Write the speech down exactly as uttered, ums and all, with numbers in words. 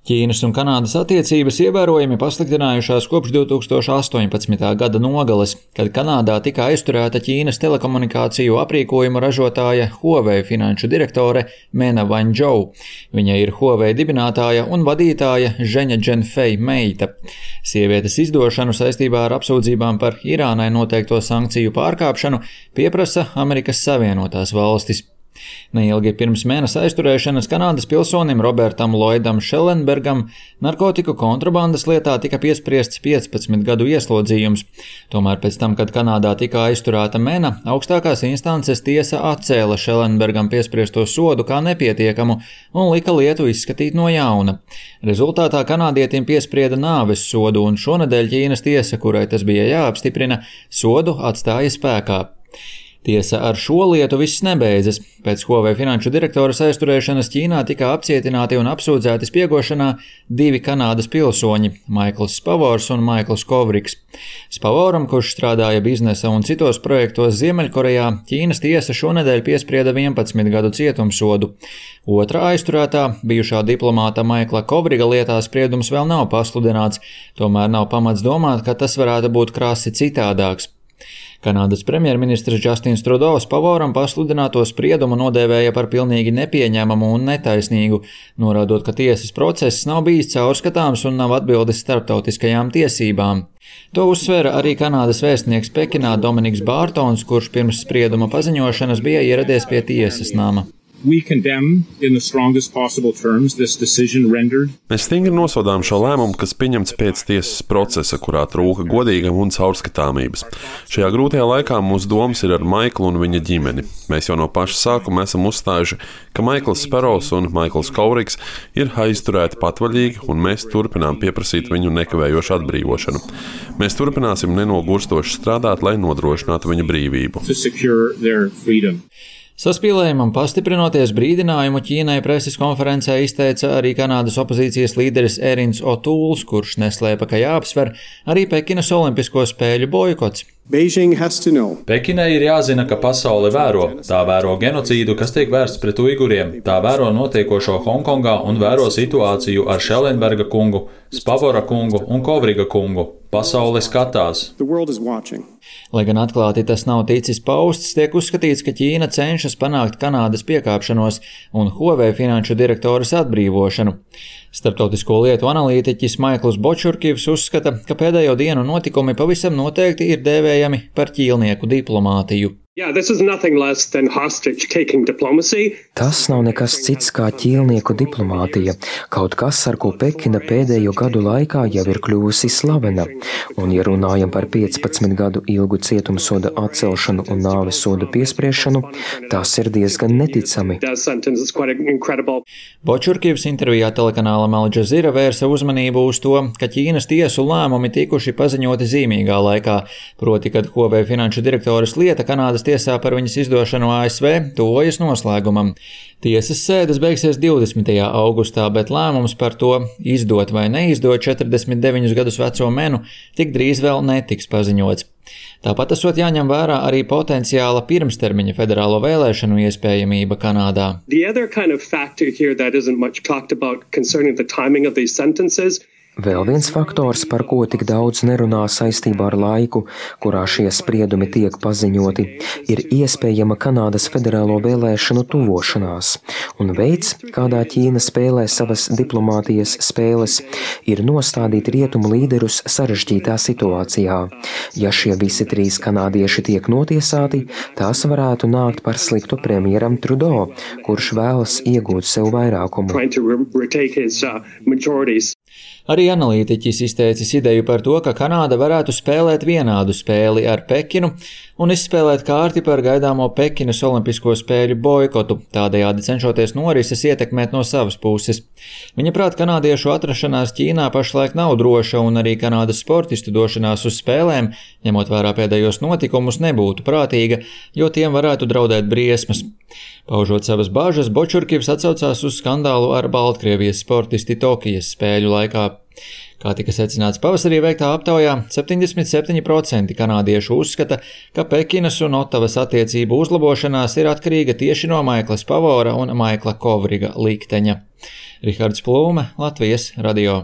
Ķīnas un Kanādas attiecības ievērojami pasliktinājušās kopš divi tūkstoši astoņpadsmitā gada nogales, kad Kanādā tika aizturēta Ķīnas telekomunikāciju aprīkojumu ražotāja Huawei finanšu direktore Mena Wanzhou. Viņa ir Huawei dibinātāja un vadītāja Zheņa Zhenfei meita. Sievietes izdošanu saistībā ar apsūdzībām par Irānai noteikto sankciju pārkāpšanu pieprasa Amerikas Savienotās valstis. Neilgi pirms mēnesa aizturēšanas Kanādas pilsonim Robertam Lloydam Schellenbergam narkotiku kontrabandas lietā tika piespriests piecpadsmit gadu ieslodzījums. Tomēr pēc tam, kad Kanādā tika aizturēta Mena, augstākās instances tiesa atcēla Schellenbergam piespriesto sodu kā nepietiekamu un lika lietu izskatīt no jauna. Rezultātā kanādietim piesprieda nāves sodu, un šonedēļ Ķīnas tiesa, kurai tas bija jāapstiprina, sodu atstāja spēkā. Tiesa ar šo lietu viss nebeidzas. Pēc Huawei finanšu direktoras aizturēšanas Ķīnā tika apcietināti un apsūdzēti spiegošanā divi Kanādas pilsoņi – Maikls Spavors un Maikls Kovrigs. Spavoram, kurš strādāja biznesa un citos projektos Ziemeļkorejā, Ķīnas tiesa šonedēļ piesprieda vienpadsmit gadu cietumsodu. Otra aizturētā, bijušā diplomāta Maikla Kovriga lietā spriedums vēl nav pasludināts, tomēr nav pamats domāt, ka tas varētu būt krasi citādāks. Kanādas premjerministrs Justins Trudeau Spavoram pasludināto spriedumu nodēvēja par pilnīgi nepieņemamu un netaisnīgu, norādot, ka tiesas process nav bijis caurskatāms un nav atbildes starptautiskajām tiesībām. To uzsvēra arī Kanādas vēstnieks Pekinā Dominiks Bārtons, kurš pirms sprieduma paziņošanas bija ieradies pie tiesas nama. We condemn in the strongest possible terms this decision rendered. Mēs stingri nosodām šo lēmumu, kas pieņemts pēc tiesas procesa, kurā trūka godīguma un caurskatāmības. Šajā grūtajā laikā mūsu domas ir ar Maiklu un viņa ģimeni. Mēs jau no paša sākuma esam uzstājuši, ka Maikls Sparrows un Maikls Kovrigs ir aizturēti patvaļīgi, un mēs turpinām pieprasīt viņu nekavējošu atbrīvošanu. Mēs turpināsim nenogurstoši strādāt, lai nodrošinātu viņa brīvību. To secure their freedom. Saspīlējumam pastiprinoties brīdinājumu Ķīnai preses konferencē izteica arī Kanādas opozīcijas līderis Erins O'Tools, kurš neslēpa, ka jāapsver arī Pekinas olimpisko spēļu boikots. Pekinai ir jāzina, ka pasaule vēro. Tā vēro genocīdu, kas tiek vērsts pret uiguriem. Tā vēro notiekošo Hongkongā un vēro situāciju ar Schellenberga kungu, Spavora kungu un Kovriga kungu. Pasaule skatās. Lai gan atklāti tas nav ticis pausts, tiek uzskatīts, ka Ķīna cenšas panākt Kanādas piekāpšanos un Huawei finanšu direktoras atbrīvošanu. Starptautisko lietu analītiķis Maikls Bočurkivs uzskata, ka pēdējo dienu notikumi pavisam noteikti ir dēvējami par ķīlnieku diplomātiju. Yeah, this is nothing less than hostage-taking diplomacy. Tas nav nekas cits kā ķīlnieku diplomātija, kaut kas, ar ko Pekina pēdējo gadu laikā jau ir kļuvusi slavena. Un, ja runājam par piecpadsmit gadu ilgu cietumsoda atcelšanu un nāves soda piespriešanu, tas ir diezgan neticami. Bočurkivs intervijā telekanālam Al Jazeera vērsa uzmanību uz to, ka Ķīnas tiesu lēmumi tikuši paziņoti zīmīgā laikā, proti, kad Huawei finanšu direktoras lieta Kanādas tiesā par viņas izdošanu A S V tuvojas noslēgumam. Tiesas sēdes beigsies divdesmitajā augustā, bet lēmums par to izdot vai neizdot četrdesmit deviņus gadus veco Menu tik drīz vēl netiks paziņots. Tāpat esot jāņem vērā arī potenciāla pirmstermiņa federālo vēlēšanu iespējamība Kanādā. The other kind of factor here that isn't much talked about concerning the timing of these sentences. Vēl viens faktors, par ko tik daudz nerunā saistībā ar laiku, kurā šie spriedumi tiek paziņoti, ir iespējama Kanādas federālo vēlēšanu tuvošanās, un veids, kādā Ķīna spēlē savas diplomātijas spēles, ir nostādīt rietumu līderus sarežģītā situācijā. Ja šie visi trīs kanādieši tiek notiesāti, tās varētu nākt par sliktu premjeram Trudeau, kurš vēlas iegūt sev vairākumu. Arī analītiķis izteicis ideju par to, ka Kanāda varētu spēlēt vienādu spēli ar Pekinu un izspēlēt kārti par gaidāmo Pekinas olimpisko spēļu boikotu, tādējādi cenšoties norises ietekmēt no savas puses. Viņa prāt, kanādiešu atrašanās Ķīnā pašlaik nav droša, un arī Kanādas sportistu došanās uz spēlēm, ņemot vērā pēdējos notikumus, nebūtu prātīga, jo tiem varētu draudēt briesmas. Paužot savas bāžas, Bočurkivs atsaucās uz skandālu ar Baltkrievijas sportisti Tokijas spēļu laikā. Kā tika secināts pavasarī veiktā aptaujā, septiņdesmit septiņi procenti kanādiešu uzskata, ka Pekinas un Otavas attiecību uzlabošanās ir atkarīga tieši no Maikla Spavora un Maikla Kovriga likteņa. Rihards Plūme, Latvijas radio.